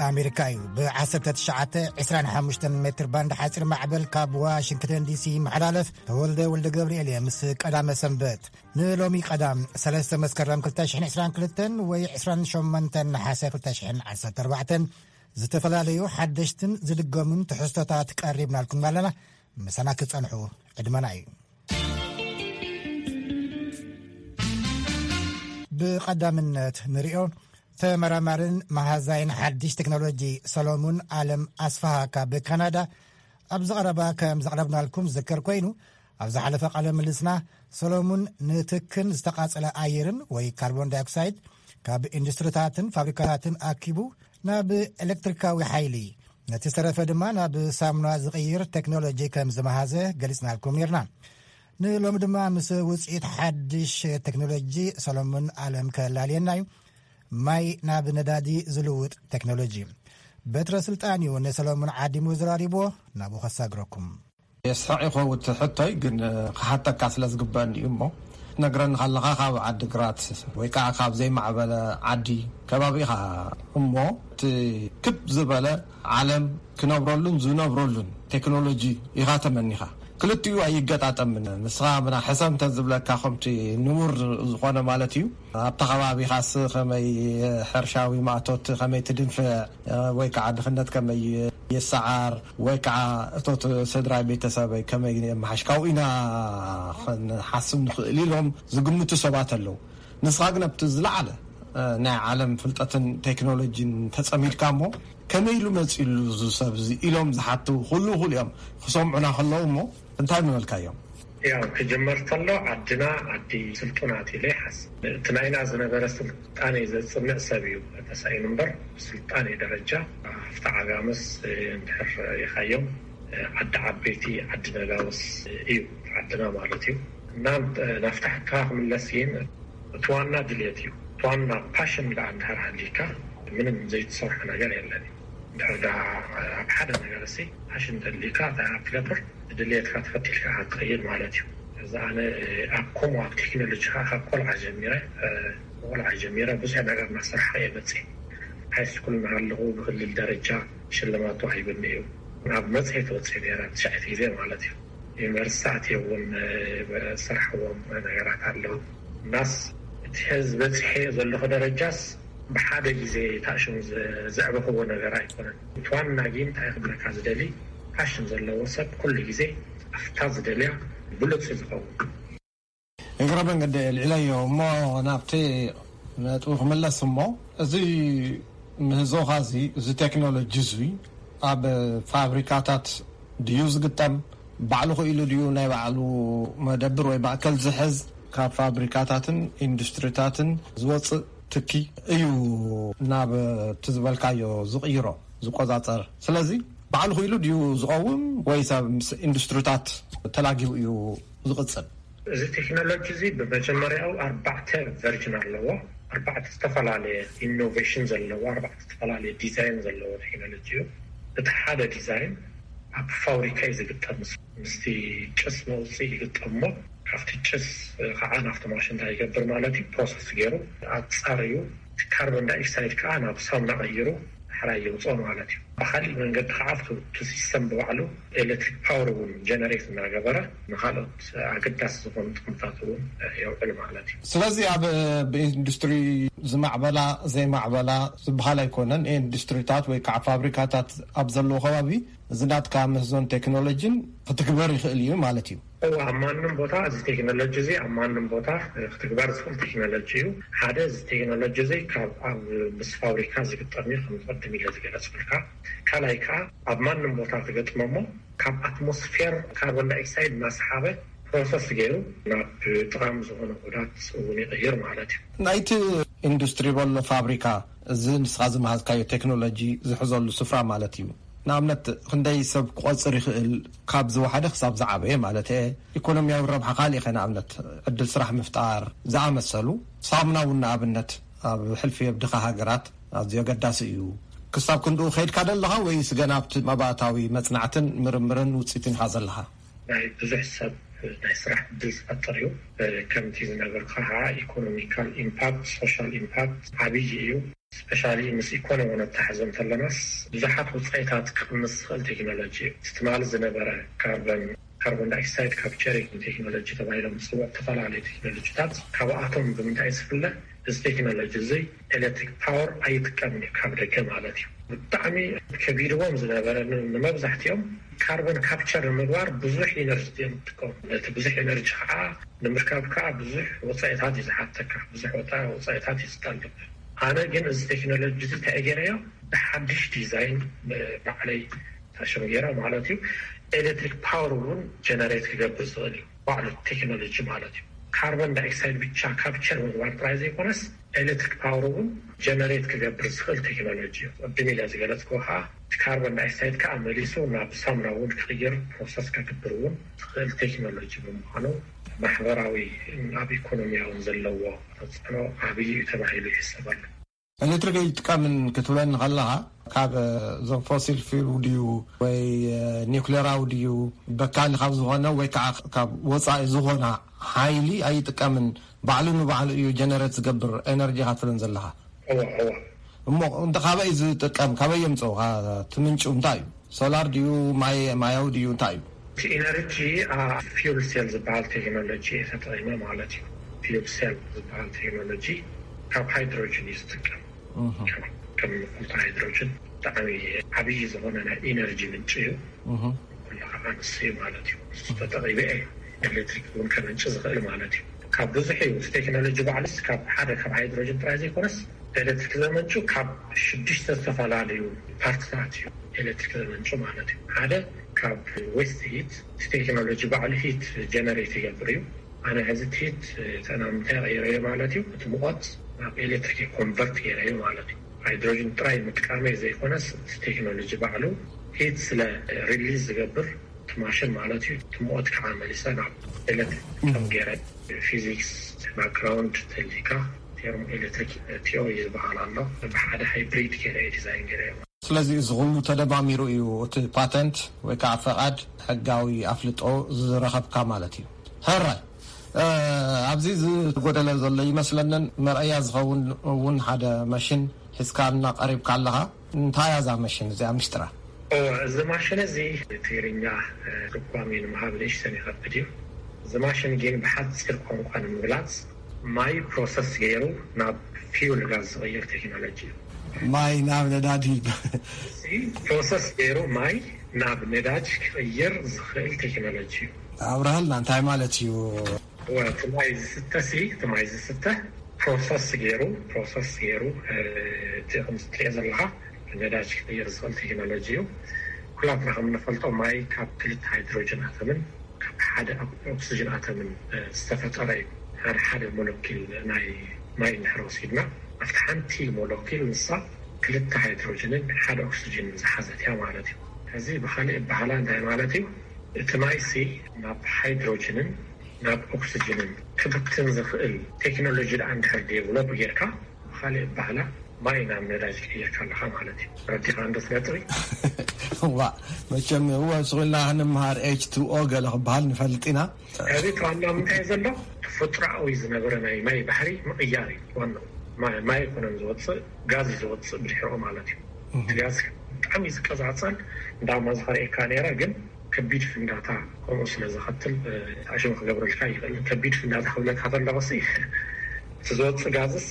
ኣሜሪካ እዩ። ብ19 25 ሜትር ባንድ ሓፂር ማዕበል ካብ ዋሽንግተን ዲሲ ይመሓላለፍ። ተወልደ ወልደ ገብርኤል እየ ምስ ቀዳመ ሰንበት። ንሎሚ ቀዳም 3 መስከረም 2022 ወይ 28 ነሓሰ 2014 ዝተፈላለዩ ሓደሽትን ዝድገሙን ትሕዝቶታት ቀሪብናልኩም ኣለና። ምሳና ክትጸንሑ ዕድመና እዩ። ብቐዳምነት ንሪኦ፣ ተመራማርን መሃዛይን ሓድሽ ቴክኖሎጂ ሰሎሙን ኣለም ኣስፋሃ ካብ ካናዳ ኣብዚ ቀረባ ከም ዘቕረብናልኩም ዝዝከር ኮይኑ፣ ኣብ ዝሓለፈ ቃለ ምልስና ሰሎሙን ንትክን ዝተቓጸለ ኣየርን ወይ ካርቦን ዳይኦክሳይድ ካብ ኢንዱስትሪታትን ፋብሪካታትን ኣኪቡ ናብ ኤሌክትሪካዊ ሓይሊ፣ ነቲ ዝተረፈ ድማ ናብ ሳሙና ዝቕይር ቴክኖሎጂ ከም ዝመሃዘ ገሊጽናልኩም ነርና። ንሎሚ ድማ ምስ ውጽኢት ሓድሽ ቴክኖሎጂ ሰሎሙን ኣለም ከላልየና እዩ። ማይ ናብ ነዳዲ ዝልውጥ ቴክኖሎጂ። በትረ ስልጣን እዩ ንሰሎሙን ዓዲሙ ዘራሪብዎ። ናብኡ ከሳግረኩም። የስሕቕ ይኸውን እቲ ሕቶይ፣ ግን ክሓተካ ስለ ዝግበአኒ እዩ እሞ፣ ትነግረኒ ከለኻ ካብ ዓዲ ግራት ወይ ከዓ ካብ ዘይማዕበለ ዓዲ ከባቢ ኢኻ እሞ፣ እቲ ክብ ዝበለ ዓለም ክነብረሉን ዝነብረሉን ቴክኖሎጂ ኢኻ ተመኒኻ። ክልቲኡ ኣይገጣጠምን። ንስኻ ምና ሕሰምተን ዝብለካ ከምቲ ንቡር ዝኾነ ማለት እዩ። ኣብታ ከባቢኻስ ከመይ ሕርሻዊ ማእቶት ከመይ ትድንፍዕ፣ ወይ ከዓ ድኽነት ከመይ ይሰዓር፣ ወይ ከዓ እቶት ስድራይ ቤተሰበይ ከመይ የመሓሽ፣ ካብኡ ኢና ክንሓስብ ንኽእል ኢሎም ዝግምቱ ሰባት ኣለዉ። ንስኻ ግን ኣብቲ ዝለዓለ ናይ ዓለም ፍልጠትን ቴክኖሎጂን ተጸሚድካ እሞ፣ ከመይ ኢሉ መጺሉ እዚ ሰብ እዚ ኢሎም ዝሓትው ኩሉ ኩሉ እዮም ክሰምዑና ከለዉ እሞ፣ እንታይ ምበልካዮም? ያው ክጅመር ከሎ ዓድና ዓዲ ስልጡናት ኢለ ይሓስብ። እቲ ናይና ዝነበረ ስልጣኔ ዘጽንዕ ሰብ እዩ ተሳኢኑ እምበር፣ ብስልጣኔ ደረጃ ኣብቲ ዓጋመስ እንድሕር ሪኢኻዮም፣ ዓዲ ዓበይቲ ዓዲ ነጋውስ እዩ ዓድና ማለት እዩ። እና ናብቲ ሕቶኻ ክምለስ ግን፣ እቲ ዋና ድልየት እዩ። እቲ ዋና ፓሽን ደኣ እንድሕር ሃልዩካ ምንም ዘይትሰርሖ ነገር የለን እዩ። እንድሕር ደኣ ኣብ ሓደ ነገር እሲ ፓሽን ተልዩካ እንታይ ክትገብር፣ ድልየትካ ተኸቲልካ ክትኸይድ ማለት እዩ። እዚ ኣነ ኣብ ከምኡ ኣብ ቴክኖሎጂ ከዓ ካብ ቆልዓ ጀሚረ፣ ቆልዓ ጀሚረ ብዙሕ ነገር እናሰርሓ እየ መፅእ። ሃይ ስኩል እናሃለኹ ብክልል ደረጃ ሽልማት ተዋሂቡኒ እዩ። ናብ መፅሄት ወፅእ ነይረ ትሽዓተ ግዜ ማለት እዩ። ዩኒቨርሲቲ ኣትየ እውን ዝሰርሕዎም ነገራት ኣለዉ። እናስ እቲ ሕዚ በፂሐዮ ዘለኹ ደረጃስ ብሓደ ግዜ ታሽሙ ዘዕበኽዎ ነገር ኣይኮነን። እቲ ዋና ግን እንታይ ክብለካ ዝደሊ፣ ፓሽን ዘለዎ ሰብ ኩሉ ግዜ ኣብታ ዝደልያ ብሉፅ እዩ ዝኸውን። እግረ መንገዲ ልዕለዮ እሞ ናብቲ ነጥቢ ክምለስ እሞ፣ እዚ ምህዞኻ እዚ፣ እዚ ቴክኖሎጂ እዚ ኣብ ፋብሪካታት ድዩ ዝግጠም? ባዕሉ ክኢሉ ድዩ ናይ ባዕሉ መደብር ወይ ማእከል ዝሕዝ? ካብ ፋብሪካታትን ኢንዱስትሪታትን ዝወፅእ ትኪ እዩ ናብ እቲ ዝበልካዮ ዝቕይሮ፣ ዝቆፃፀር። ስለዚ ባዕሉ ክኢሉ ድዩ ዝቐውም ወይስ ኣብ ምስ ኢንዱስትሪታት ተላጊቡ እዩ ዝቕፅል? እዚ ቴክኖሎጂ እዚ ብመጀመርያኡ ኣርባዕተ ቨርጅን ኣለዎ። ኣርባዕተ ዝተፈላለየ ኢኖቬሽን ዘለዎ፣ ኣርባዕተ ዝተፈላለየ ዲዛይን ዘለዎ ቴክኖሎጂ እዩ። እቲ ሓደ ዲዛይን ኣብ ፋብሪካ እዩ ዝግጠም። ምስቲ ጭስ መውፅኢ ይግጠም እሞ፣ ካብቲ ጭስ ከዓ ናብቲ ማሽን እንታይ ይገብር ማለት እዩ? ፕሮሰስ ገይሩ ኣፃርዩ፣ እቲ ካርቦን ዳይኦክሳይድ ከዓ ናብ ሳሙና ቀይሩ ሕራይ የውፅኦ ማለት እዩ። ብካሊእ መንገዲ ከዓ እቲ ሲስተም ብባዕሉ ኤሌክትሪክ ፓወር እውን ጀነሬት እናገበረ ንካልኦት ኣገዳሲ ዝኾኑ ጥቕምታት እውን የውዕል ማለት እዩ። ስለዚ ኣብ ብኢንዱስትሪ ዝማዕበላ ዘይማዕበላ ዝበሃል ኣይኮነን። ኢንዱስትሪታት ወይ ከዓ ፋብሪካታት ኣብ ዘለዎ ከባቢ እዚ ናትካ ምህዞን ቴክኖሎጂን ክትግበር ይኽእል እዩ ማለት እዩ። እዎ፣ ኣብ ማንም ቦታ እዚ ቴክኖሎጂ እዚ ኣብ ማንም ቦታ ክትግበር ዝኽእል ቴክኖሎጂ እዩ። ሓደ፣ እዚ ቴክኖሎጂ እዚ ካብ ኣብ ምስ ፋብሪካ ዝግጠም እዩ፣ ከም ዝቐድም ኢለ ዝገለጽኩልካ። ካልኣይ ከዓ ኣብ ማንም ቦታ ትገጥሞ እሞ ካብ ኣትሞስፌር ካርቦን ዳይኦክሳይድ እናሰሓበ ፕሮሰስ ገይሩ ናብ ጠቓሚ ዝኾነ ውሑዳት እውን ይቕይር ማለት እዩ። ናይቲ ኢንዱስትሪ በሎ ፋብሪካ፣ እዚ ንስኻ ዝመሃዝካዮ ቴክኖሎጂ ዝሕዘሉ ስፍራ ማለት እዩ። ንኣብነት ክንደይ ሰብ ክቆጽር ይኽእል? ካብ ዝወሓደ ክሳብ ዝዓበየ ማለት እየ። ኢኮኖሚያዊ ረብሓ ካልእ ከ ንኣብነት ዕድል ስራሕ ምፍጣር ዝኣመሰሉ። ሳሙና እውን ንኣብነት ኣብ ሕልፊ የብድኻ ሃገራት ኣዝዩ ኣገዳሲ እዩ። ክሳብ ክንድኡ ከይድካ ደለኻ ወይስ ገና ኣብቲ መባእታዊ መጽናዕትን ምርምርን ውጽኢትን ኢኻ ዘለኻ? ናይ ብዙሕ ሰብ ናይ ስራሕ ዕድል ዝፈጥር እዩ። ከምቲ ዝነገርኩኻ ከዓ ኢኮኖሚካል ኢምፓክት፣ ሶሻል ኢምፓክት ዓብዪ እዩ። ስፔሻሊ ምስ ኢኮኖሚ ነተሓሕዞ እንተለናስ ብዙሓት ውፅኢታት ክቕንስ ዝኽእል ቴክኖሎጂ እዩ። እቲ ትማሊ ዝነበረ ካርበን ካርቦን ዳይኦክሳይድ ካፕቸሪንግ ቴክኖሎጂ ተባሂሎም ዝፅውዑ ዝተፈላለዩ ቴክኖሎጂታት ካብኣቶም ብምንታይ ዝፍለ? እዚ ቴክኖሎጂ እዚ ኤሌክትሪክ ፓወር ኣይጥቀምን እዩ ካብ ደገ ማለት እዩ። ብጣዕሚ ከቢድዎም ዝነበረ ን- ንመብዛሕትኦም ካርቦን ካፕቸር ንምግባር ብዙሕ ኢነርጂ እዮም ዝጥቀሙ። ነቲ ብዙሕ ኤነርጂ ከዓ ንምርካብ ከዓ ብዙሕ ወፃኢታት እዩ ዝሓተካ፣ ብዙሕ ወፃ ወፃኢታት እዩ ዝጠልብ። ኣነ ግን እዚ ቴክኖሎጂ እዚ እንታይ ገይረዮ? ብሓድሽ ዲዛይን ባዕለይ ታሽም ገይረ ማለት እዩ። ኤሌክትሪክ ፓወር እውን ጀነሬት ክገብር ዝኽእል እዩ ባዕሉ ቴክኖሎጂ ማለት እዩ። ካርቦን ዳይኦክሳይድ ብቻ ካፕቸር ምግባር ጥራይ ዘይኮነስ ኤሌክትሪክ ፓወር እውን ጀነሬት ክገብር ዝኽእል ቴክኖሎጂ እዩ። ቅድም ኢለ ዝገለፅኩ ከዓ እቲ ካርቦን ዳይኦክሳይድ ከዓ መሊሱ ናብ ሳሙና እውን ክቕይር ፕሮሰስ ከግብር እውን ዝኽእል ቴክኖሎጂ ብምዃኑ ማሕበራዊ ኣብ ኢኮኖሚያውን ዘለዎ ተፅዕኖ ዓብዪ እዩ ተባሂሉ ይሕሰበሉ። ኤሌክትሪክ ኣይጥቀምን ክትብለኒ ከለኻ ካብ እዞም ፎሲል ፊል ድዩ ወይ ኒውክሌራዊ ድዩ በካሊ ካብ ዝኾነ ወይ ከዓ ካብ ወፃኢ ዝኾነ ሓይሊ ኣይጥቀምን፣ ባዕሉ ንባዕሉ እዩ ጀነሬት ዝገብር ኤነርጂ ኢኻ ትብለን ዘለኻ። እሞ እንተ ካበይ ዝጥቀም፣ ካበይ የምፅኡ? ትምንጩ እንታይ እዩ? ሶላር ድዩ ማይ ማያዊ ድዩ እንታይ እዩ? እቲ ኢነርጂ ፊውል ሴል ዝበሃል ቴክኖሎጂ እየ ተጠቂመ ማለት እዩ። ፊውል ሴል ዝበሃል ቴክኖሎጂ ካብ ሃይድሮጅን እዩ ዝጥቀም። ከም ንፈልጦ ሃይድሮጅን ብጣዕሚ ዓብዪ ዝኾነ ናይ ኢነርጂ ምንጭ እዩ። ኩሉ ከዓ ንሱ እዩ ማለት እዩ። ንሱ ተጠቂመ እየ ኤሌክትሪክ እውን ከመንጭ ዝኽእል ማለት እዩ። ካብ ብዙሕ እዩ እቲ ቴክኖሎጂ ባዕሉስ ካብ ሓደ ካብ ሃይድሮጅን ጥራይ ዘይኮነስ ኤሌክትሪክ ዘመንጩ ካብ ሽዱሽተ ዝተፈላለዩ ፓርትታት እዩ ኤሌክትሪክ ዘመንጩ ማለት እዩ። ሓደ ካብ ዌስት ሂት እቲ ቴክኖሎጂ ባዕሉ ሂት ጀነሬት ይገብር እዩ። ኣነ ሕዚ እቲ ሂት ተናምንታይ ቀይረዮ ማለት እዩ። እቲ ሙቐት ናብ ኤሌክትሪክ ኮንቨርት ገይረዮ ማለት እዩ። ሃይድሮጅን ጥራይ ምጥቃመይ ዘይኮነስ እቲ ቴክኖሎጂ ባዕሉ ሂት ስለ ሪሊዝ ዝገብር እቲ ማሽን ማለት እዩ። እቲ ሙቐት ከዓ መሊሰ ናብ ኤሌክትሪክ ከም ገይረ ፊዚክስ ባክግራውንድ ተሊካ ቴርሞ ኤሌክትሪክ ቲዮሪ ዝበሃል ኣሎ። ብሓደ ሃይብሪድ ገይረ ዲዛይን ገይረ። ስለዚ እዚ ኩሉ ተደማሚሩ እዩ እቲ ፓተንት ወይ ከዓ ፈቓድ ሕጋዊ ኣፍልጦ ዝረኸብካ ማለት እዩ። ሕራይ ኣብዚ ዝጎደለ ዘሎ ይመስለንን መርኣያ ዝኸውን እውን ሓደ መሽን ሒዝካልና ቀሪብካ ኣለኻ። እንታይ እያ እዛ መሽን እዚኣ? ምሽጥራ። እወ፣ እዚ ማሽን እዚ ትግርኛ ትርጓሜ ንምሃብ ንእሽተን ይኸብድ እዩ። እዚ ማሽን ግን ብሓፂር ቋንቋ ንምግላፅ ማይ ፕሮሰስ ገይሩ ናብ ፊውል ጋዝ ዝቕይር ቴክኖሎጂ እዩ። ማይ ናብ ነዳዲ። እዚ ፕሮሰስ ገይሩ ማይ ናብ ነዳጅ ክቕይር ዝኽእል ቴክኖሎጂ እዩ። ኣብርሃልና እንታይ ማለት እዩ? እወ፣ እቲ ማይ ዝስተ ሲ እቲ ማይ ዝስተ ፕሮሰስ ገይሩ ፕሮሰስ ገይሩ እቲ ከምዚ ትሪኦ ዘለካ ነዳጅ ክቅይር ዝኽእል ቴክኖሎጂ እዩ። ኩላትና ከም ንፈልጦ ማይ ካብ ክልተ ሃይድሮጅን ኣተምን ካብ ሓደ ኦክሲጅን ኣተምን ዝተፈጠረ እዩ። ሓደ ሓደ ሞለኪል ናይ ማይ እንድሕር ወሲድና ኣብቲ ሓንቲ ሞለኪል ንሳ ክልተ ሃይድሮጅንን ሓደ ኦክሲጅንን ዝሓዘት እያ ማለት እዩ። እዚ ብካሊእ ኣበሃላ እንታይ ማለት እዩ? እቲ ማይሲ ናብ ሃይድሮጅንን ናብ ኦክስጅንን ክብትን ዝኽእል ቴክኖሎጂ ደኣ እንድሕር ዴቨሎፕ ጌርካ ብኻሊእ ኣበሃላ ማይ ናብ ነዳጅ ቀይርካ ኣለኻ ማለት እዩ። ረዲኻ እንዶ ነጥቢ። ዋ መቸም እወ ስቑልና ክንምሃር ኤች ቱ ኦ ገለ ክበሃል ንፈልጥ ኢና። ሕዚ ዋና ምንታይ ዘሎ ተፈጥሮኣዊ ዝነበረ ናይ ማይ ባህሪ ምቕያር እዩ ዋናው። ማይ ኣይኮነን ዝወፅእ ጋዝ እዩ ዝወፅእ ብድሕሪኦ ማለት እዩ። እቲ ጋዝ ብጣዕሚ እዩ ዝቀፃፀል። እንዳማ ዝኸርእየካ ነይረ ግን ከቢድ ፍንዳታ ከምኡ ስለ ዘኸትል ኣሽም ክገብረልካ ይኽእል። ከቢድ ፍንዳታ ክብለካ ከለኹ ሲ እቲ ዝወፅእ ጋዝስ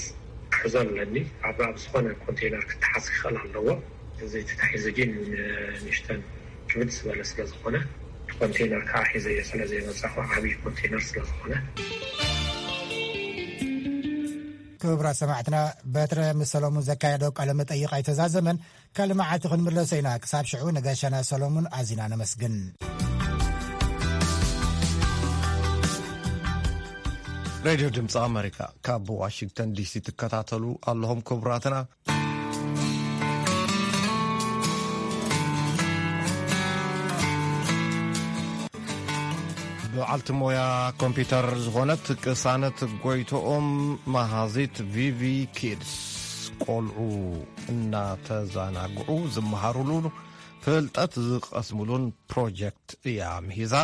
ክሕዞ ኣለኒ ኣብ ኣብ ዝኾነ ኮንቴነር ክተሓዝ ክኽእል ኣለዎ። እዚ ተታሒዙ ግን ንእሽተን ክብድ ዝበለ ስለ ዝኾነ ኮንቴነር ከዓ ሒዘዮ ስለ ዘይመፃኹ ዓብዪ ኮንቴነር ስለ ዝኾነ ክቡራት ሰማዕትና በትረ ምስ ሰሎሙን ዘካየዶ ቃለ መጠይቕ ኣይተዛዘመን። ካልእ መዓልቲ ክንምለሶ ኢና። ክሳብ ሽዑ ንጋሻና ሰሎሙን ኣዚና ነመስግን። ሬድዮ ድምፂ ኣመሪካ ካብ ዋሽንግተን ዲሲ ትከታተሉ ኣለኹም ክቡራትና። በዓልቲ ሞያ ኮምፒተር ዝኾነት ቅሳነት ጎይቶኦም መሃዚት ቪቪ ኪድስ ቆልዑ እናተዘናግዑ ዝመሃሩሉ ፍልጠት ዝቐስሙሉን ፕሮጀክት እያ ምሂዛ።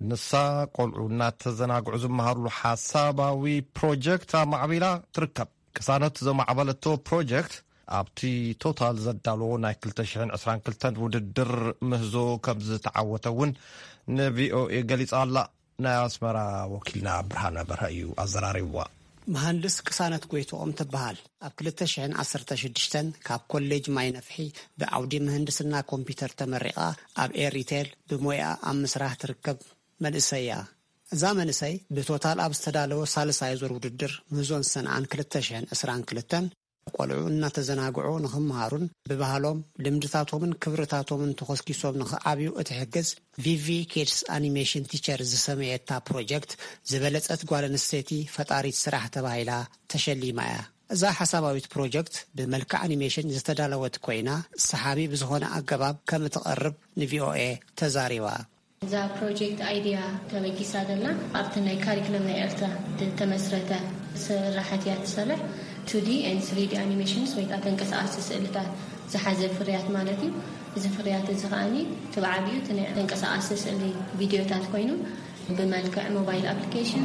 ንሳ ቆልዑ እናተዘናግዑ ዝመሃሩሉ ሓሳባዊ ፕሮጀክት ኣማዕቢላ ትርከብ። ቅሳነት ዘማዕበለቶ ፕሮጀክት ኣብቲ ቶታል ዘዳለዎ ናይ ክልተ ሽሕን ዕስራን ክልተን ውድድር ምህዞ ከም ዝተዓወተ እውን ንቪኦኤ ገሊጻ ኣላ። ናይ ኣስመራ ወኪልና ብርሃነ በርሀ እዩ ኣዘራሪብዋ። መሃንድስ ቅሳነት ጎይትኦም ትበሃል። ኣብ ክልተ ሽሕን ዓሰርተ ሽዱሽተን ካብ ኮሌጅ ማይ ነፍሒ ብዓውዲ ምህንድስና ኮምፒውተር ተመሪቓ ኣብ ኤሪቴል ብሞያ ኣብ ምስራሕ ትርከብ መንእሰይ እያ። እዛ መንእሰይ ብቶታል ኣብ ዝተዳለወ ሳልሳይ ዙር ውድድር ምህዞን ሰንዓን ክልተ ሽሕን ዕስራን ክልተን ቆልዑ እናተዘናግዑ ንኽመሃሩን ብባህሎም ልምድታቶምን ክብርታቶምን ተኾስኪሶም ንኽዓብዩ እትሕግዝ ቪቪ ኪድስ ኣኒሜሽን ቲቸር ዝሰመየታ ፕሮጀክት ዝበለጸት ጓል ኣንስተይቲ ፈጣሪት ስራሕ ተባሂላ ተሸሊማ እያ። እዛ ሓሳባዊት ፕሮጀክት ብመልክዕ ኣኒሜሽን ዝተዳለወት ኮይና ሰሓቢ ብዝኾነ ኣገባብ ከም እትቐርብ ንቪኦኤ ተዛሪባ። እዛ ፕሮጀክት ኣይድያ ተበጊሳ ዘላ ኣብቲ ናይ ካሪክለም ናይ ኤርትራ ዝተመስረተ ስራሓት እያ ትሰርሕ። ቱ ዲ ኤንድ ስሪ ዲ ኣኒሜሽንስ ወይ ከዓ ተንቀሳቐስቲ ስእልታት ዝሓዘ ፍርያት ማለት እዩ። እዚ ፍርያት እዚ ከዓኒ እቲ ብዓቢኡ እቲ ናይ ተንቀሳቐስቲ ስእሊ ቪድዮታት ኮይኑ ብመልክዕ ሞባይል ኣፕሊኬሽን፣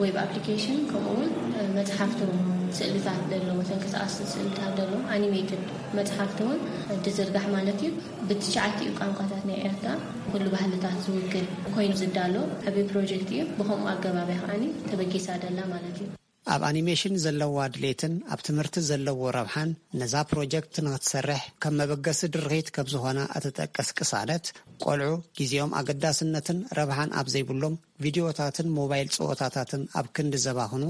ዌብ ኣፕሊኬሽን፣ ከምኡ እውን መፅሓፍቲ እውን ስእልታት ዘለዎ ተንቀሳቐስቲ ስእልታት ዘለዎ ኣኒሜትድ መፅሓፍቲ እውን ዝዝርጋሕ ማለት እዩ። ብትሽዓቲኡ ቋንቋታት ናይ ኤርትራ ኩሉ ባህልታት ዝውክል ኮይኑ ዝዳሎ ዓብዪ ፕሮጀክት እዩ። ብኸምኡ ኣገባብ እያ ከዓኒ ተበጊሳ ደላ ማለት እዩ። ኣብ ኣኒሜሽን ዘለዋ ድሌትን ኣብ ትምህርቲ ዘለዎ ረብሓን ነዛ ፕሮጀክት ንኽትሰርሕ ከም መበገሲ ድርኺት ከም ዝኾና እትጠቅስ ቅሳነት፣ ቆልዑ ግዜኦም ኣገዳስነትን ረብሓን ኣብ ዘይብሎም ቪድዮታትን ሞባይል ጸወታታትን ኣብ ክንዲ ዘባኽኑ፣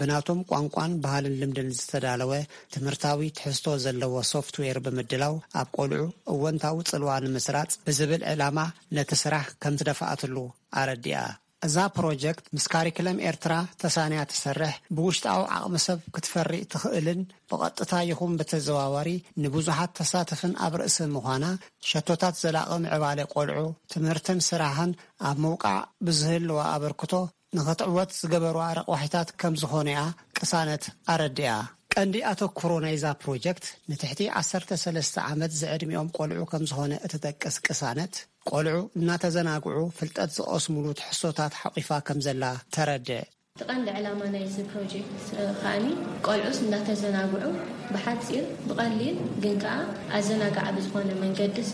ብናቶም ቋንቋን ባህልን ልምድን ዝተዳለወ ትምህርታዊ ትሕዝቶ ዘለዎ ሶፍትዌር ብምድላው ኣብ ቆልዑ እወንታዊ ጽልዋ ንምስራጽ ብዝብል ዕላማ ነቲ ስራሕ ከም ትደፍኣትሉ ኣረዲኣ። እዛ ፕሮጀክት ምስ ካሪክለም ኤርትራ ተሳንያ ትሰርሕ፣ ብውሽጣዊ ዓቕሚ ሰብ ክትፈሪ ትኽእልን ብቐጥታ ይኹን ብተዘዋዋሪ ንብዙሓት ተሳትፍን ኣብ ርእሲ ምዃና፣ ሸቶታት ዘላቒ ምዕባለ ቆልዑ፣ ትምህርትን ስራሕን ኣብ ምውቃዕ ብዝህልዋ ኣበርክቶ ንኽትዕወት ዝገበርዋ ረቋሒታት ከም ዝኾነያ ቅሳነት ኣረዲኣ። ቀንዲ ኣተኩሮ ናይዛ ፕሮጀክት ንትሕቲ ዓሰርተ ሰለስተ ዓመት ዝዕድሚኦም ቆልዑ ከም ዝኾነ እትጠቅስ ቅሳነት፣ ቆልዑ እናተዘናግዑ ፍልጠት ዝቐስሙሉ ትሕዝቶታት ሓቑፋ ከም ዘላ ተረድእ። እቲ ቀንዲ ዕላማ ናይዚ ፕሮጀክት ከዓኒ ቆልዑስ እናተዘናግዑ ብሓፂር ብቐሊል ግን ከዓ ኣዘናጋዒ ብዝኾነ መንገዲ ሲ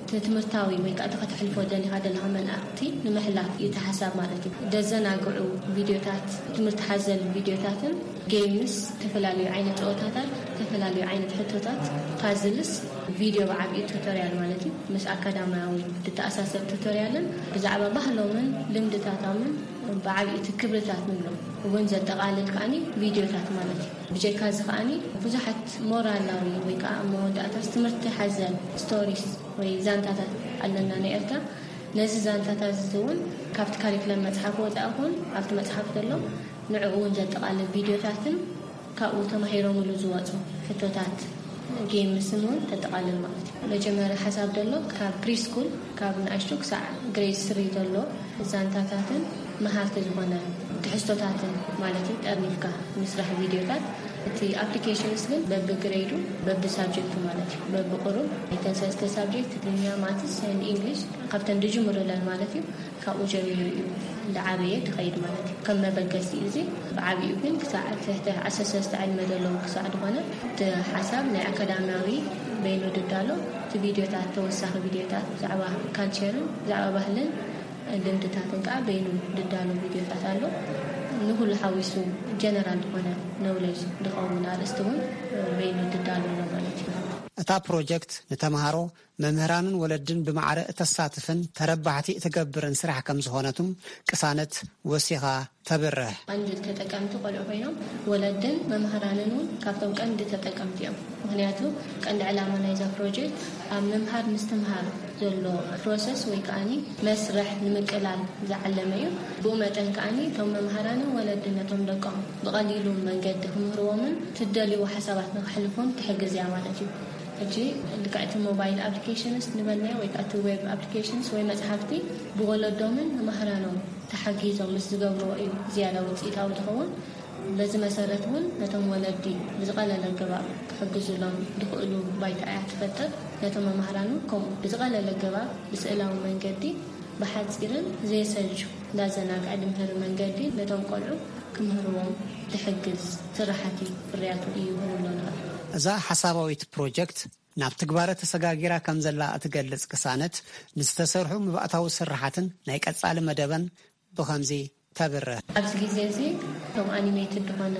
እቲ ትምህርታዊ ወይ ከዓ እቲ ከተሕልፎ ደሊኻ ዘለኻ መልእኽቲ ንምሕላፍ እዩ እቲ ሓሳብ ማለት እዩ። ዘዘናግዑ ቪድዮታት፣ ትምህርቲ ሓዘል ቪድዮታትን ጌምስ፣ ዝተፈላለዩ ዓይነት ፀወታታት፣ ዝተፈላለዩ ዓይነት ሕቶታት፣ ፓዝልስ፣ ቪድዮ ብዓብዩ ቱቶሪያል ማለት እዩ። ምስ ኣካዳሚያዊ ዝተኣሳሰር ቱቶሪያልን ብዛዕባ ባህሎምን ልምድታቶምን ብዓብዩ እቲ ክብርታት ንብሎ እውን ዘጠቓልል ከዓኒ ቪድዮታት ማለት እዩ። ብጀካ እዚ ከዓኒ ብዙሓት ሞራላዊ ወይ ከዓ ኣብ መወዳእታስ ትምህርቲ ሓዘል ስቶሪስ ወይ ዛንታታት ኣለና ናይ ኤርትራ። ነዚ ዛንታታት እዚ እውን ካብቲ ካሪክለም መፅሓፍ ወፃኢ ይኹን ኣብቲ መፅሓፍ ዘሎ ንዕኡ እውን ዘጠቓልል ቪድዮታትን ካብኡ ተማሂሮምሉ ዝወፁ ሕቶታት ጌምስን እውን ተጠቓልል ማለት እዩ። መጀመርያ ሓሳብ ዘሎ ካብ ፕሪስኩል ካብ ንኣሽቱ ክሳዕ ግሬድ ስሪ ዘሎ ዛንታታትን መሃርቲ ዝኾነ ትሕዝቶታትን ማለት እዩ ጠርኒፍካ ምስራሕ ቪድዮታት። እቲ ኣፕሊኬሽንስ ግን በብግሬዱ በብሳብጀክቱ ማለት እዩ በብቁሩብ እተን ሰለስተ ሳብጀክት ትግርኛ፣ ማትስ፣ ኤንድ ኢንግሊሽ ካብተን ዝጅምሩለን ማለት እዩ ካብኡ ጀሚሩ እዩ እንዳዓበየ ዝኸይድ ማለት እዩ። ከም መበገሲ እዩ እዚ ብዓብኡ ግን ክሳዕ ትሕቲ ዓሰርተ ሰለስተ ዕድመ ዘለዉ ክሳዕ ዝኾነ እቲ ሓሳብ ናይ ኣካዳሚያዊ በይኑ ድዳሎ እቲ ቪድዮታት ተወሳኺ ቪድዮታት ብዛዕባ ካልቸርን ብዛዕባ ባህልን ልምድታትን ከዓ በይኑ ድዳሎ ቪድዮታት ኣሎ። ንኩሉ ሓዊሱ ጀነራል ዝኾነ ኖውለጅ ዝኸውን ኣርእስቲ እውን በይኑ ድዳሎ ኣሎ ማለት እዩ። እታ ፕሮጀክት ንተምሃሮ መምህራንን ወለድን ብማዕረ እተሳትፍን ተረባሕቲ እትገብርን ስራሕ ከም ዝኾነትም ቅሳነት ወሲኻ ተብርህ። ቀንዲ ተጠቀምቲ ቆልዑ ኮይኖም ወለድን መምህራንን እውን ካብቶም ቀንዲ ተጠቀምቲ እዮም። ምክንያቱ ቀንዲ ዕላማ ናይዛ ፕሮጀክት ኣብ ምምሃር ምስትምሃር ዘሎ ፕሮሰስ ወይ ከዓኒ መስርሕ ንምቅላል ዝዓለመ እዩ። ብኡ መጠን ከዓኒ እቶም መምህራንን ወለድን ነቶም ደቆም ብቐሊሉ መንገዲ ክምህርዎምን ትደልይዎ ሓሳባት ንክሕልፉን ትሕግዝ እያ ማለት እዩ። ሕጂ ልክዕቲ ሞባይል ኣፕሊኬሽንስ ንበልናዮ ወይ ከዓ እቲ ዌብ ኣፕሊኬሽንስ ወይ መፅሓፍቲ ብወለዶምን መምህራኖም ተሓጊዞም ምስ ዝገብርዎ እዩ ዝያዳ ውፅኢታዊ ዝኸውን። በዚ መሰረት እውን ነቶም ወለዲ ብዝቐለለ ኣገባብ ክሕግዙሎም ዝኽእሉ ባይታ እያ ትፈጥር። ነቶም መምህራን እውን ከምኡ ብዝቐለለ ኣገባብ ብስእላዊ መንገዲ ብሓፂርን ዘየሰልቹ እንዳዘናግዐ ድምህሪ መንገዲ ነቶም ቆልዑ ምህርዎም ዝሕግዝ ስራሕቲ ፍርያቱ እዩ ክንብሎ ንኽእል። እዛ ሓሳባዊት ፕሮጀክት ናብ ትግባረ ተሰጋጊራ ከም ዘላ እትገልጽ ቅሳነት፣ ንዝተሰርሑ መባእታዊ ስራሓትን ናይ ቀጻሊ መደበን ብኸምዚ ተብርህ። ኣብዚ ግዜ እዚ እቶም ኣኒሜትድ ዝኾነ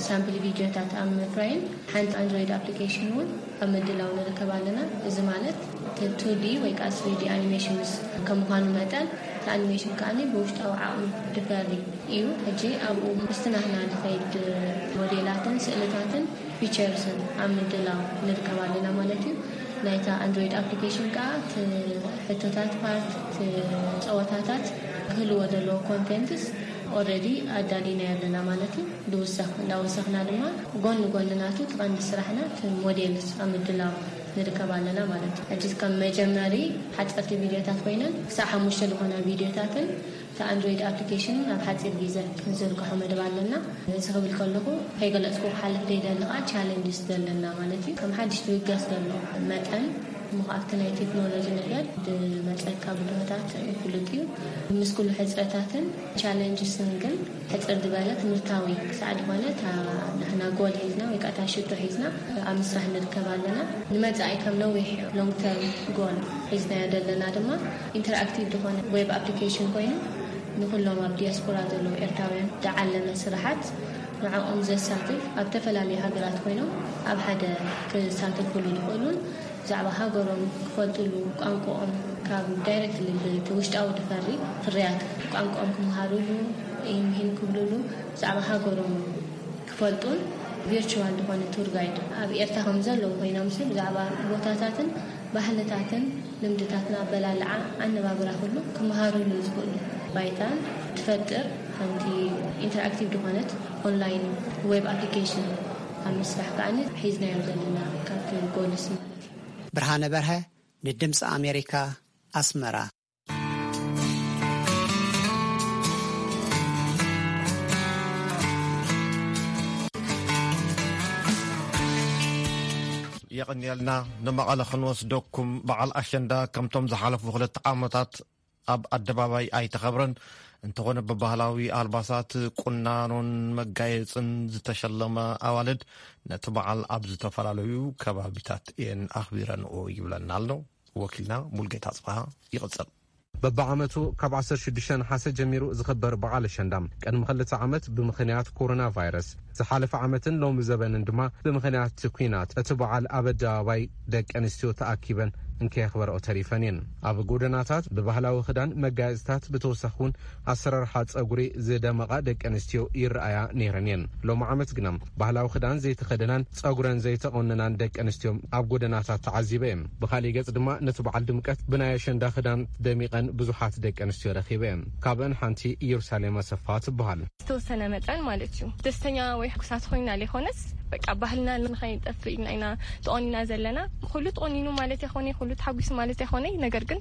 ሳምፕል ቪድዮታት ኣብ ምፍራይን ሓንቲ ኣንድሮይድ ኣፕሊኬሽን እውን ኣብ ምድላው ንርከብ ኣለና። እዚ ማለት ቱ ዲ ወይ ከዓ ስሪ ዲ ኣኒሜሽንስ ከም ምዃኑ መጠን፣ እቲ ኣኒሜሽን ከኣ ብውሽጣዊ ዓቕሚ ድፈሪ እዩ። ሕጂ ኣብኡ ምስቲ ናህና ድኸይድ ሞዴላትን ስእልታትን ፊቸርስን ኣብ ምድላው ንርከብ ኣለና ማለት እዩ። ናይታ ኣንድሮይድ ኣፕሊኬሽን ከዓ እቲ ሕቶታት ፓርት፣ እቲ ጸወታታት ክህልዎ ዘለዎ ኮንቴንትስ ኦልሬዲ ኣዳሊና ኣለና ማለት እዩ። ድውሰኽ እንዳወሰኽና ድማ ጎኒ ጎኒ ናቱ እቲ ቀንዲ ስራሕና እቲ ሞዴልስ ኣብ ምድላው ንርከብ ኣለና ማለት እዩ። ሕጂ ከም መጀመሪ ሓፀርቲ ቪድዮታት ኮይነን ክሳብ ሓሙሽተ ዝኾና ቪድዮታትን እቲ ኣንድሮይድ ኣፕሊኬሽን ኣብ ሓፂር ግዜ ክንዝርግሖ መደብ ኣለና። እዚ ክብል ከለኹ ከይገለፅኩ ክሓልፍ ዘይደሊ ከዓ ቻለንጅስ ዘለና ማለት እዩ። ከም ሓድሽ ትብገስ ዘሎ መጠን እሞ ኣብቲ ናይ ቴክኖሎጂ ነገር ዝመፀካ ብድሆታት ፍሉጥ እዩ። ምስ ኩሉ ሕፅረታትን ቻለንጅስን ግን ሕፅር ዝበለ ትምህርታዊ ክሳዕ ዝኾነ እታ ንሕና ጎል ሒዝና ወይ ከዓ እታ ሽቶ ሒዝና ኣብ ምስራሕ ንርከብ ኣለና። ንመፃኢ ከም ነዊሕ ሎንግ ተርም ጎል ሒዝናዮ ዘለና ድማ ኢንተርኣክቲቭ ዝኾነ ዌብ ኣፕሊኬሽን ኮይኑ ንኩሎም ኣብ ዲያስፖራ ዘለዉ ኤርትራውያን ዝዓለመ ስራሓት ንዕኦም ዘሳትፍ ኣብ ዝተፈላለዩ ሃገራት ኮይኖም ኣብ ሓደ ክሳተፍሉ ዝኽእሉን ብዛዕባ ሃገሮም ክፈልጥሉ ቋንቋኦም ካብ ዳይሬክትሊ ብቲ ውሽጣዊ ድፈሪ ፍርያት ቋንቋኦም ክመሃሩሉ ኢምሂን ክብሉሉ ብዛዕባ ሃገሮም ክፈልጡን ቪርቹዋል ዝኾነ ቱር ጋይድ ኣብ ኤርትራ ከም ዘለዉ ኮይኖም ሲ ብዛዕባ ቦታታትን ባህልታትን ልምድታትን ኣበላልዓ ኣነባብራ ኩሉ ክመሃሩሉ ዝኽእሉ ባይታን ትፈጥር ሓንቲ ኢንተርኣክቲቭ ዝኾነት ኦንላይን ዌብ ኣፕሊኬሽን ኣብ ምስራሕ ከዓኒ ሒዝናዮ ዘለና ካብቲ ጎልስ ማለት እዩ። ብርሃነ በርሀ ንድምፂ ኣሜሪካ ኣስመራ። የቐንየልና። ንመቐለ ክንወስደኩም። በዓል ኣሸንዳ ከምቶም ዝሓለፉ ክልተ ዓመታት ኣብ ኣደባባይ ኣይተኸብረን። እንተኾነ ብባህላዊ ኣልባሳት፣ ቁናኖን መጋየፅን ዝተሸለመ ኣዋልድ ነቲ በዓል ኣብ ዝተፈላለዩ ከባቢታት እየን ኣኽቢረንኦ ይብለና ኣሎ ወኪልና ሙልጌታ ኣፅበሃ። ይቕፅል። በብዓመቱ ካብ ዓሰርተ ሽዱሽተ ነሓሰ ጀሚሩ ዝኽበር በዓል ኣሸንዳ ቅድሚ ክልተ ዓመት ብምኽንያት ኮሮና ቫይረስ፣ ዝሓለፈ ዓመትን ሎሚ ዘበንን ድማ ብምኽንያት እቲ ኲናት እቲ በዓል ኣብ ኣደባባይ ደቂ ኣንስትዮ ተኣኪበን እንከየኽበረኦ ተሪፈን እየን። ኣብ ጎደናታት ብባህላዊ ክዳን መጋየፅታት ብተወሳኺ እውን ኣሰራርሓ ፀጉሪ ዝደመቓ ደቂ ኣንስትዮ ይረኣያ ነይረን እየን። ሎሚ ዓመት ግና ባህላዊ ክዳን ዘይተኸደናን ፀጉረን ዘይተቖነናን ደቂ ኣንስትዮ ኣብ ጎደናታት ተዓዚበ እየን። ብኻሊእ ገፅ ድማ ነቲ በዓል ድምቀት ብናይ ኣሸንዳ ክዳን ደሚቐን ብዙሓት ደቂ ኣንስትዮ ረኺበ እየን። ካብአን ሓንቲ ኢየሩሳሌም ኣሰፋ ትበሃል። ዝተወሰነ መጠን ማለት እዩ። ደስተኛ ወይ ሕጉሳት ኮይና ዘይኮነስ በቃ ባህልና ንኸይጠፍእ ኢልና ኢና ተቆኒና ዘለና። ኩሉ ተቆኒኑ ማለት ኣይኮነ፣ ኩሉ ተሓጒሱ ማለት ኣይኮነ። ነገር ግን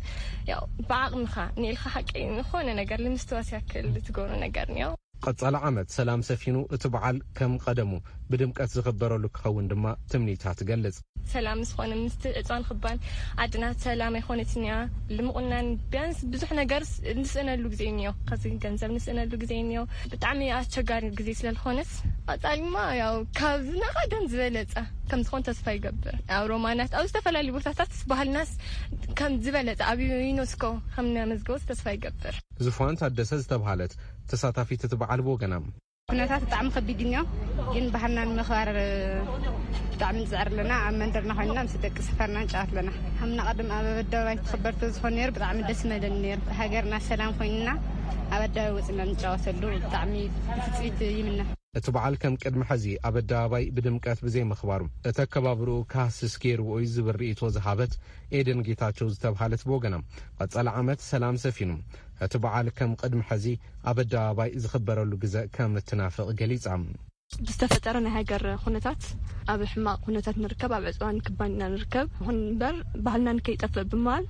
ያው ብዓቕምኻ ንኢልካ ሓቂ ዝኾነ ነገር ንምስትዋስ ያክል ትገብሮ ነገር ነው። ቀጻሊ ዓመት ሰላም ሰፊኑ እቲ በዓል ከም ቀደሙ ብድምቀት ዝኽበረሉ ክኸውን ድማ ትምኒታ ትገልጽ። ሰላም ዝኾነ ምስቲ ዕፅዋን ክባን ዓድና ሰላም ኣይኮነትን እያ። ልምቑናን ቢያንስ ብዙሕ ነገር ንስእነሉ ግዜ እኒኦ። ከዚ ገንዘብ ንስእነሉ ግዜ እኒኦ። ብጣዕሚ ኣስቸጋሪ ግዜ ስለዝኾነስ ቀፃሊማ ያው ካብ ዝናቐደም ዝበለፀ ከም ዝኾን ተስፋ ይገብር። ኣብ ሮማናት ኣብ ዝተፈላለዩ ቦታታት ባህልናስ ከም ዝበለፀ ኣብ ዩኔስኮ ከም ነመዝገቦስ ተስፋ ይገብር። ዝፋን ታደሰ ዝተብሃለት ተሳታፊት እቲ በዓል ብወገና ኩነታት ብጣዕሚ ከቢድ እዩ። ግን ባህልና ንምኽባር ብጣዕሚ ንፅዕር ኣለና። ኣብ መንደርና ኮይንና ምስ ደቂ ሰፈርና ንጫወት ኣለና። ከምና ቀደም ኣብ ኣደባባይ ትኽበር ተዝኾን ነይሩ ብጣዕሚ ደስ መለኒ ነይሩ። ሃገርና ሰላም ኮይንና ኣብ ኣደባባይ ወፅና ንጫወተሉ ብጣዕሚ ብትፅቢት ይምነ። እቲ በዓል ከም ቅድሚ ሕዚ ኣብ ኣደባባይ ብድምቀት ብዘይምኽባሩ እቲ ኣከባብርኡ ካህስስ ገይርዎ እዩ ዝብል ርእይቶ ዝሃበት ኤደን ጌታቸው ዝተብሃለት ብወገና ቀፃሊ ዓመት ሰላም ሰፊኑ እቲ በዓል ከም ቅድሚ ሕዚ ኣብ ኣደባባይ ዝኽበረሉ ግዘ ከም እትናፍቕ ገሊጻ። ብዝተፈጠረ ናይ ሃገር ኩነታት ኣብ ሕማቕ ኩነታት ንርከብ፣ ኣብ ዕፅዋን ክባን ኢና ንርከብ። ይኹን እምበር ባህልና ንከይጠፍእ ብምባል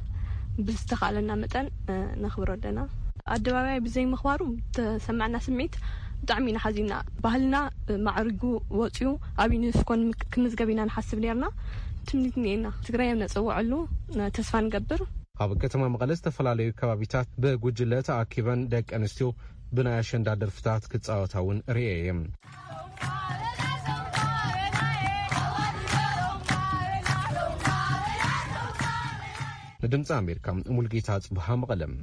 ብዝተኻእለና መጠን ነኽብሮ ኣለና። ኣደባባይ ብዘይምኽባሩ ተሰማዕና ስምዒት ብጣዕሚ ኢና ሓዚንና። ባህልና ማዕሪጉ ወፂኡ ኣብ ዩኔስኮ ክምዝገብ ኢና ንሓስብ ነርና። ትምኒት እኒኤና። ትግራይ ነፀውዐሉ ተስፋ ንገብር። ኣብ ከተማ መቐለ ዝተፈላለዩ ከባቢታት ብጉጅለ ተኣኪበን ደቂ ኣንስትዮ ብናይ ኣሸንዳ ደርፍታት ክጻወታ እውን ርእየ እየ። ንድምፂ ኣሜሪካ፣ ሙልጌታ ጽብሃ፣ መቐለም።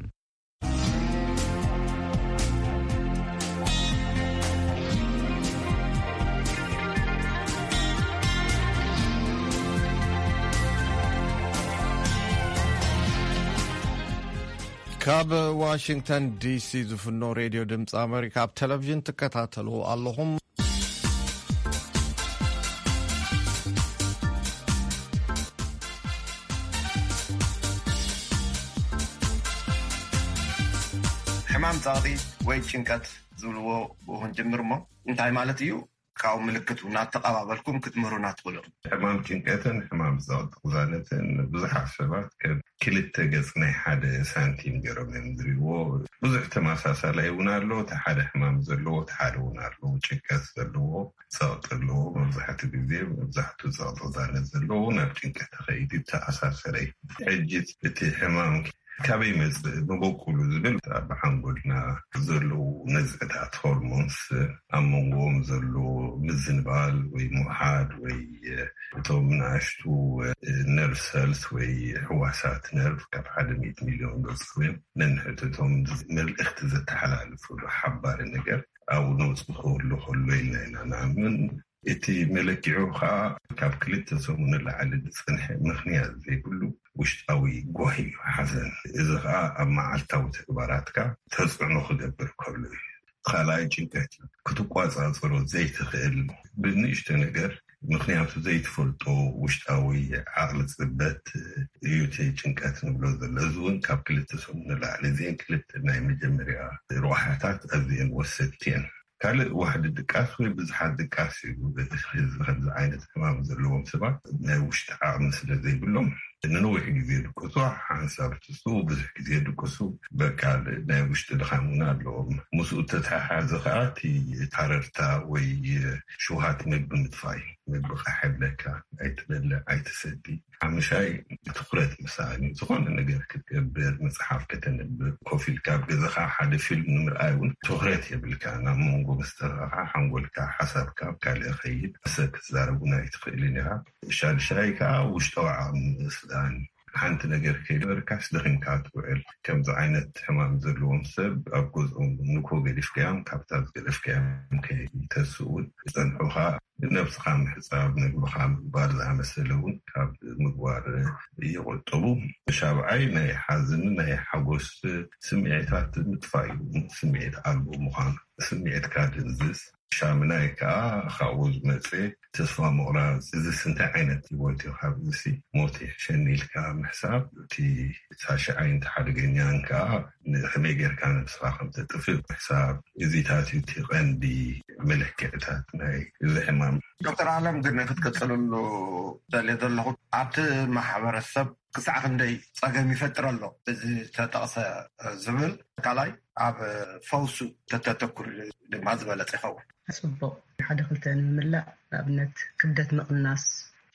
ካብ ዋሽንግተን ዲሲ ዝፍኖ ሬድዮ ድምፂ ኣሜሪካ ኣብ ቴሌቪዥን ትከታተሉ ኣለኹም። ሕማም ጸቕጢ ወይ ጭንቀት ዝብልዎ ብኡ ክንጅምር እሞ፣ እንታይ ማለት እዩ? ካብኡ ምልክቱ እናተቐባበልኩም ክትምህሩና ትኽእሉ። ሕማም ጭንቀትን ሕማም ጸቕጢ ቅዛነትን ብዙሓት ሰባት ከም ክልተ ገጽ ናይ ሓደ ሳንቲም ገይሮም እዮም ዝሪእዎ። ብዙሕ ተመሳሳላይ እውን ኣሎ። እቲ ሓደ ሕማም ዘለዎ፣ እቲ ሓደ እውን ኣሎ። ጭንቀት ዘለዎ፣ ጸቕጢ ኣለዎ። መብዛሕትኡ ግዜ፣ መብዛሕትኡ ጸቕጢ ቅዛነት ዘለዎ ናብ ጭንቀት ተኸይዱ ተኣሳሰረ እዩ። ሕጂ እቲ ሕማም ካበይ መጽእ መበቁሉ ዝብል ኣብ ሓንጎልና ዘለዉ ነዝዕታት ሆርሞንስ ኣብ መንጎኦም ዘሎ ምዝንባል ወይ ምውሓድ ወይ እቶም ንኣሽቱ ነርቭ ሰልስ ወይ ሕዋሳት ነርቭ ካብ ሓደ ሚእቲ ሚልዮን በጽሑ እዮም ነንሕድሕዶም መልእኽቲ ዘተሓላልፉሉ ሓባሪ ነገር ኣብኡ ነውጽእ ክህሉ ከሎ ኢልና ኢና ንኣምን። እቲ መለኪዑ ከዓ ካብ ክልተ ሰሙን ንላዕሊ ዝጸንሐ ምኽንያት ዘይብሉ ውሽጣዊ ጓሂ እዩ፣ ሓዘን። እዚ ከዓ ኣብ መዓልታዊ ተግባራትካ ተጽዕኖ ክገብር ከሎ እዩ። ካልኣይ ጭንቀት እዩ። ክትቋጻጸሮ ዘይትኽእል ብንእሽቶ ነገር፣ ምኽንያቱ ዘይትፈልጦ ውሽጣዊ ዓቕሊ ጽበት እዩ እቲ ጭንቀት ንብሎ ዘሎ። እዚ እውን ካብ ክልተ ሰሙን ንላዕሊ። እዚአን ክልተ ናይ መጀመርያ ረብሓታት ኣዝየን ወሰድቲ እየን። ካልእ ዋሕዲ ድቃስ ወይ ብዙሓት ድቃስ እዩ። እዚ ከምዚ ዓይነት ሕማም ዘለዎም ሰባት ናይ ውሽጢ ዓቕሚ ስለ ዘይብሎም ንነዊሕ ግዜ ድቅሱ፣ ሓንሳብ ትስኡ፣ ብዙሕ ግዜ ድቅሱ፣ በቃ ናይ ውሽጢ ድኻም እውን ኣለዎም። ምስኡ ተተሓሓዘ ከዓ እቲ ታረርታ ወይ ሽውሃት ምግቢ ምጥፋይ፣ ምግቢ ቃሕ የብለካ፣ ኣይትበልዕ፣ ኣይትሰቲ። ሓሙሻይ ትኹረት ምሳኣን እዩ። ዝኾነ ነገር ክትገብር፣ መጽሓፍ ከተንብብ፣ ኮፍ ኢልካ ኣብ ገዛኻ ሓደ ፊልም ንምርኣይ እውን ትኹረት የብልካ። ናብ መንጎ መስተርኻኻ ሓንጎልካ፣ ሓሳብካ ኣብ ካልእ ይኸይድ። ሰብ ክትዛረብ እውን ኣይትኽእልን ኢኻ። ሻድሻይ ከኣ ውሽጣዊ ዓቕሚ ምስኣን። ሓንቲ ነገር ከይገበርካስ ደኺምካ ትውዕል። ከምዚ ዓይነት ሕማም ዘለዎም ሰብ ኣብ ገዝኦም ንኮ ገዲፍካዮም፣ ካብታ ዝገደፍካዮም ከይተስኡ እውን ዝጸንሑኻ ነብስኻ ምሕጻብ፣ ምግብኻ ምቕባል ዝኣመሰለ እውን ካብ ምግባር ይቑጠቡ። ሻብዓይ ናይ ሓዘንን ናይ ሓጎስ ስምዒታት ምጥፋእ እዩ። ስምዒት ኣልቦ ምዃን፣ ስምዒትካ ድንዝዝ። ሻምናይ ከኣ ካብኡ ዝመጸ ተስፋ ምቑራጽ፣ እዚስ እንታይ ዓይነት ህይወት እዩ? ካብዚሲ ሞት ይሕሸኒ ኢልካ ምሕሳብ፣ እቲ ሳሽዓይን እቲ ሓደገኛን ከኣ ንኸመይ ጌርካ ነብስኻ ከም ተጥፍእ ምሕሳብ፣ እዚታት እዩ እቲ ቀንዲ መለክዕታት ናይ እዚ ሕማም። ዶክተር ኣለም፣ ግን ክትቅጽልሉ ደልየ ዘለኹ፣ ኣብቲ ማሕበረሰብ ክሳዕ ክንደይ ጸገም ይፈጥር ኣሎ እዚ ተጠቕሰ ዝብል፣ ካልኣይ ኣብ ፈውሱ ተተተኩር ድማ ዝበለጸ ይኸውን። ጽቡቕ። ሓደ ክልተ ንምምላእ፣ ንኣብነት ክብደት ምቕናስ፣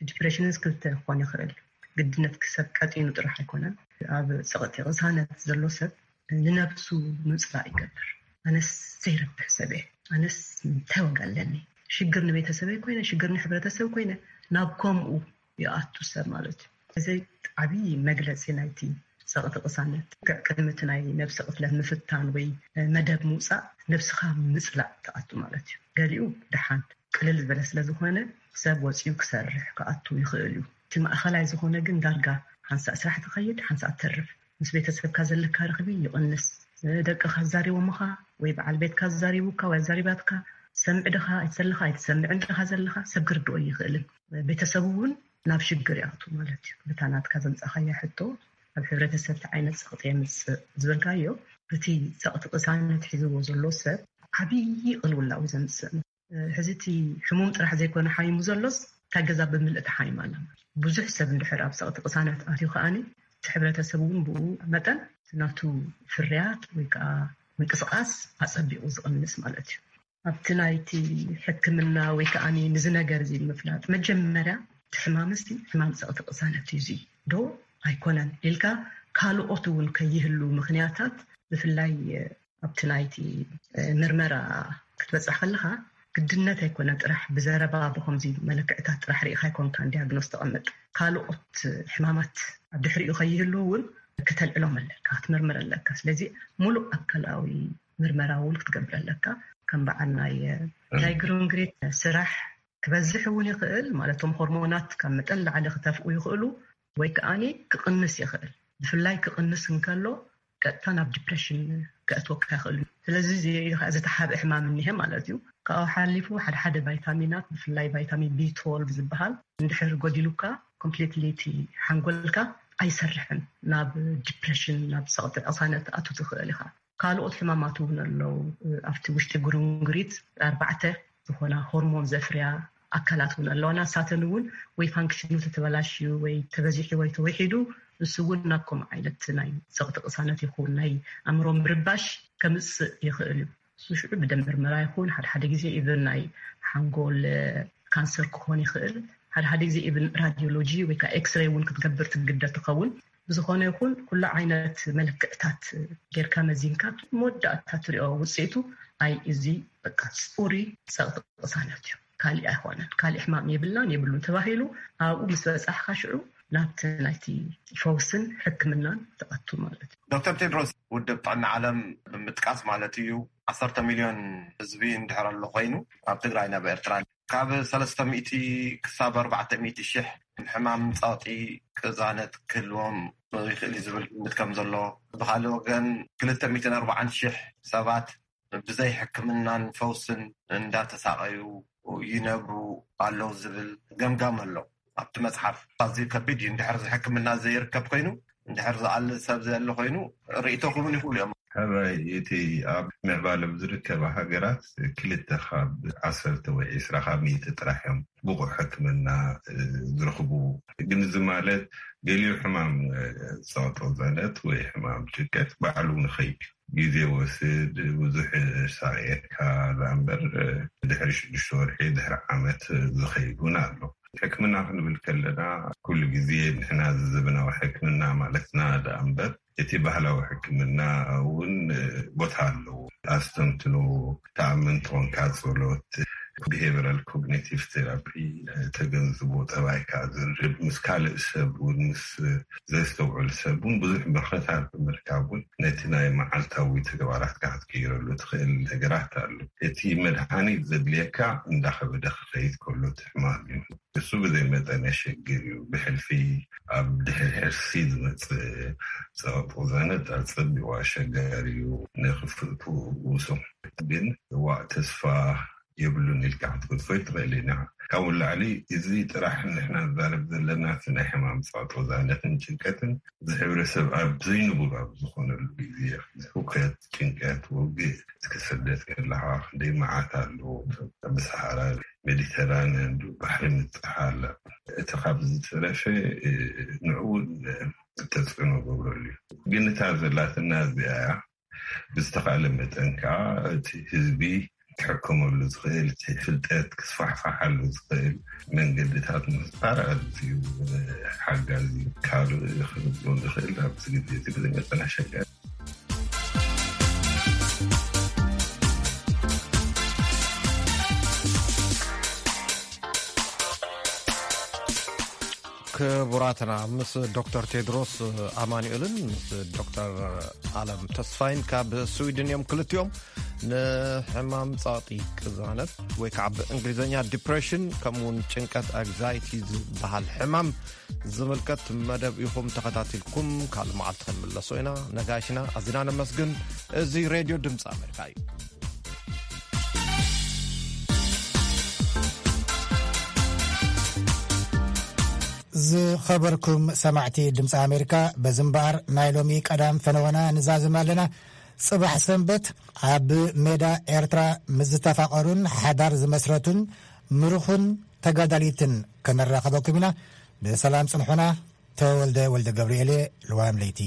ዲፕሬሽንስ ክልተ ክኾን ይኽእል። ግድነት ክሰብ ቀጢኑ ጥራሕ ኣይኮነን። ኣብ ጸቕጢ ቅሳነት ዘሎ ሰብ ንነብሱ ምጽላእ ይገብር። ኣነስ ዘይረብሕ ሰብ እየ፣ ኣነስ እንታይ ዋጋ ኣለኒ? ሽግር ንቤተሰበይ ኮይነ፣ ሽግር ንሕብረተሰብ ኮይነ፣ ናብ ከምኡ ይኣቱ ሰብ ማለት እዩ። እዚ ዓብዪ መግለጺ ናይቲ ጸቕጢ ቅሳነት። ልክዕ ቅድሚ እቲ ናይ ነብሲ ቅትለት ምፍታን ወይ መደብ ምውጻእ፣ ነብስኻ ምጽላእ ትኣቱ ማለት እዩ። ገሊኡ ደሓን ቅልል ዝበለ ስለ ዝኾነ፣ ሰብ ወጺኡ ክሰርሕ ክኣቱ ይኽእል እዩ። እቲ ማእኸላይ ዝኾነ ግን ዳርጋ ሓንሳእ ስራሕ ትኸይድ፣ ሓንሳእ ትተርፍ። ምስ ቤተሰብካ ዘለካ ርኽቢ ይቕንስ። ደቅኻ ኣዛሪቦምኻ ወይ በዓል ቤትካ ኣዛሪቡካ ወይ ኣዛሪባትካ፣ ትሰምዕ ዲኻ ኣይትሰልኻ፣ ኣይትሰምዕን ዲኻ ዘለኻ፣ ሰብ ክርድኦ ይኽእልን። ቤተሰቡ እውን ናብ ሽግር ይኣቱ ማለት እዩ። በታ ናትካ ዘምጻኻያ ሕቶ፣ ኣብ ሕብረተሰብ እንታይ ዓይነት ጸቕጢ የምጽእ ዝበልካዮ፣ እቲ ጸቕጢ ቅሳነት ሒዝዎ ዘሎ ሰብ ዓብዪ ቅልውላው እዩ ዘምጽእ። ሕዚ እቲ ሕሙም ጥራሕ ዘይኮነ ሓሚሙ ዘሎስ፣ እታ ገዛ ብምልእ ተሓሚማ ኣላ። ብዙሕ ሰብ እንድሕር ኣብ ጸቕጢ ቅሳነት ኣትዩ ከኣኒ፣ እቲ ሕብረተሰብ እውን ብኡ መጠን ናቱ ፍርያት ወይ ከዓ ምንቅስቓስ ኣጸቢቑ ዝቕንስ ማለት እዩ። ኣብቲ ናይቲ ሕክምና ወይ ከኣኒ ንዚ ነገር እዚ ንምፍላጥ፣ መጀመርያ እቲ ሕማምሲ ሕማም ጸቕጢ ቅሳነት እዩ እዚ ዶ ኣይኮነን ኢልካ፣ ካልኦት እውን ከይህሉ ምኽንያታት፣ ብፍላይ ኣብቲ ናይቲ ምርመራ ክትበፅሕ ከለካ ግድነት ኣይኮነ ጥራሕ ብዘረባ ብከምዚ መለክዕታት ጥራሕ ርኢካ ኣይኮንካን ዲያግኖስ ተቐምጥ። ካልኦት ሕማማት ኣብ ድሕሪኡ ከይህልው እውን ክተልዕሎም ኣለካ ክትምርምር ኣለካ። ስለዚ ሙሉእ ኣካላዊ ምርመራ እውን ክትገብር ኣለካ። ከም በዓል ናይ ናይ ግሩንግሪት ስራሕ ክበዝሕ እውን ይኽእል። ማለቶም ሆርሞናት ካብ መጠን ላዕሊ ክተፍኡ ይኽእሉ ወይ ከዓኒ ክቕንስ ይኽእል። ብፍላይ ክቕንስ እንከሎ ቀጥታ ናብ ዲፕሬሽን ከእትወካ ይኽእል እዩ። ስለዚ እዚ ከዓ ዝተሓበ ሕማም እኒሀ ማለት እዩ። ካብኡ ሓሊፉ ሓደ ሓደ ቫይታሚናት ብፍላይ ቫይታሚን ቢ ትወልቭ ዝበሃል እንድሕር ጎዲሉካ ኮምፕሊትሊ እቲ ሓንጎልካ ኣይሰርሕን፣ ናብ ዲፕሬሽን ናብ ፀቕጢ ቅሳነት ኣቱ ትኽእል ኢኻ። ካልኦት ሕማማት እውን ኣለዉ። ኣብቲ ውሽጢ ጉርንጉሪት ኣርባዕተ ዝኾና ሆርሞን ዘፍርያ ኣካላት እውን ኣለዋና። ሳተን እውን ወይ ፋንክሽኑ ተተበላሽዩ ወይ ተበዚሑ ወይ ተወሒዱ፣ ንሱ እውን ናብ ከምኡ ዓይነት ናይ ፀቕጢ ቅሳነት ይኹን ናይ ኣእምሮ ምርባሽ ከምፅእ ይኽእል እዩ። እሱ ሽዑ ብደም ምርመራ ይኹን ሓደ ሓደ ግዜ ኢቨን ናይ ሓንጎል ካንሰር ክኾን ይኽእል። ሓደ ሓደ ግዜ ኢቨን ራዲዮሎጂ ወይ ከዓ ኤክስሬይ እውን ክትገብር ትግደድ ትኸውን። ብዝኾነ ይኹን ኩሉ ዓይነት መለክዕታት ጌርካ መዚንካ መወዳእታ ትሪኦ ውፅኢቱ ኣይ እዚ በቃ ፅሩይ ፀቕጢ ቅሳነት እዩ፣ ካሊእ ኣይኮነን፣ ካሊእ ሕማም የብልናን የብሉን ተባሂሉ ኣብኡ ምስ በፃሕካ ሽዑ ናብቲ ናይቲ ፈውስን ሕክምናን ትኣቱ ማለት እዩ። ዶክተር ቴድሮስ፣ ውድብ ጥዕና ዓለም ብምጥቃስ ማለት እዩ፣ ዓሰርተ ሚልዮን ህዝቢ እንድሕር ኣሎ ኮይኑ ኣብ ትግራይ ናብ ኤርትራ ካብ ሰለስተ ሚእቲ ክሳብ ኣርባዕተ ሚእቲ ሽሕ ሕማም ጸቕጢ ቅዛነት ክህልዎም ይኽእል እዩ ዝብል ግምት ከም ዘሎ፣ ብኻልእ ወገን ክልተ ሚእትን ኣርባዓን ሽሕ ሰባት ብዘይ ሕክምናን ፈውስን እንዳተሳቐዩ ይነብሩ ኣለዉ ዝብል ገምጋም ኣሎ ኣብቲ መጽሓፍ። ኣዝዩ ከቢድ እዩ። እንድሕር ሕክምና ዘይርከብ ኮይኑ፣ እንድሕር ዝኣሊ ሰብ ዘየለ ኮይኑ ርእይቶኹም እውን ይኽእሉ እዮም። ሕራይ እቲ ኣብ ምዕባለ ኣብ ዝርከባ ሃገራት ክልተ ካብ ዓሰርተ ወይ ዒስራ ካብ ሚእቲ ጥራሕ እዮም ብቑዕ ሕክምና ዝረኽቡ። ግን እዚ ማለት ገሊኡ ሕማም ጸቕጦ ዘነት ወይ ሕማም ጭንቀት ባዕሉ ንኸይድ ግዜ ወስድ ብዙሕ ሳቕየካ ዳኣ እምበር ድሕሪ ሽዱሽተ ወርሒ ድሕሪ ዓመት ዝኸይድ እውን ኣሎ። ሕክምና ክንብል ከለና ኩሉ ግዜ ንሕና እዚ ዘበናዊ ሕክምና ማለትና ዳኣ እምበር እቲ ባህላዊ ሕክምና እውን ቦታ ኣለዎ። ኣስተንትኖ፣ ተኣምን ትኾንካ ጸሎት፣ ቢሄቨራል ኮግኒቲቭ ቴራፒ፣ ተገንዝቦ ጠባይካ ዝርብ ምስ ካልእ ሰብ እውን ምስ ዘስተውዕል ሰብ እውን ብዙሕ ምኽርታት ብምርካብ እውን ነቲ ናይ መዓልታዊ ተግባራትካ ክትቅይረሉ ትኽእል ነገራት ኣሎ። እቲ መድሃኒት ዘድልየካ እንዳኸበደ ክኸይድ ከሎ እቲ ሕማም እዩ። እሱ ብዘይ መጠን የሸግር እዩ። ብሕልፊ ኣብ ድሕሪ ሕርሲ ዝመጽእ ጸቕጢ ዘነጣ ጸቢቑ ኣሸጋሪ እዩ። ንኽፍእቱ ውሱን ግን ዋእ ተስፋ የብሉን ኢልካ ክትገድፎ ትኽእል ኢና። ካብኡ ላዕሊ እዚ ጥራሕ ንሕና ንዛረብ ዘለና እቲ ናይ ሕማም ጸቕጢ ዛነትን ጭንቀትን እዚ ሕብረተሰብ ኣብ ዘይንቡር ኣብ ዝኾነሉ ግዜ፣ ህውከት፣ ጭንቀት፣ ውግእ፣ እስከ ስደት ከለኻ ክንደይ መዓት ኣሎ። ኣብ ሰሃራ፣ ሜዲተራንያን፣ ባሕሪ ምብጻሕ ኣላ። እቲ ካብ ዝተረፈ፣ እ፣ ንዕኡ እውን ተጽዕኖ ገብረሉ እዩ። ግን እታ ዘላትና እዚኣ እያ። ብዝተኻእለ መጠን ከዓ እቲ ህዝቢ ክሕከመሉ ዝኽእል፣ እቲ ፍልጠት ክስፋሕፋሓሉ ዝኽእል መንገድታት ምፍጣር ኣዝዩ ሓጋዚ እዩ። ካልእ ክንብሎ ንኽእል ኣብዚ ግዜ እዚ ብዝመጠን ኣሸጋሪ። ክቡራትና፣ ምስ ዶክተር ቴድሮስ ኣማኑኤልን ምስ ዶክተር ኣለም ተስፋይን ካብ ስዊድን እዮም። ክልቲኦም ንሕማም ጸቕጢ ቅዛነት ወይ ከዓ ብእንግሊዝኛ ዲፕሬሽን ከምኡውን ጭንቀት ኣግዛይቲ ዝበሃል ሕማም ዝምልከት መደብ ኢኹም ተኸታቲልኩም። ካልእ መዓልቲ ክንምለሶ ኢና። ነጋሽና ኣዚና ነመስግን። እዚ ሬድዮ ድምፂ ኣሜሪካ እዩ። ዝኸበርኩም ሰማዕቲ ድምፂ ኣሜሪካ፣ በዚ እምበኣር ናይ ሎሚ ቀዳም ፈነወና ንዛዝም ኣለና። ጽባሕ ሰንበት ኣብ ሜዳ ኤርትራ ምስ ዝተፋቐሩን ሓዳር ዝመስረቱን ምሩኽን ተጋዳሊትን ከነራኸበኩም ኢና። ብሰላም ጽንሑና። ተወልደ ወልደ ገብርኤል፣ ልዋም ለይቲ።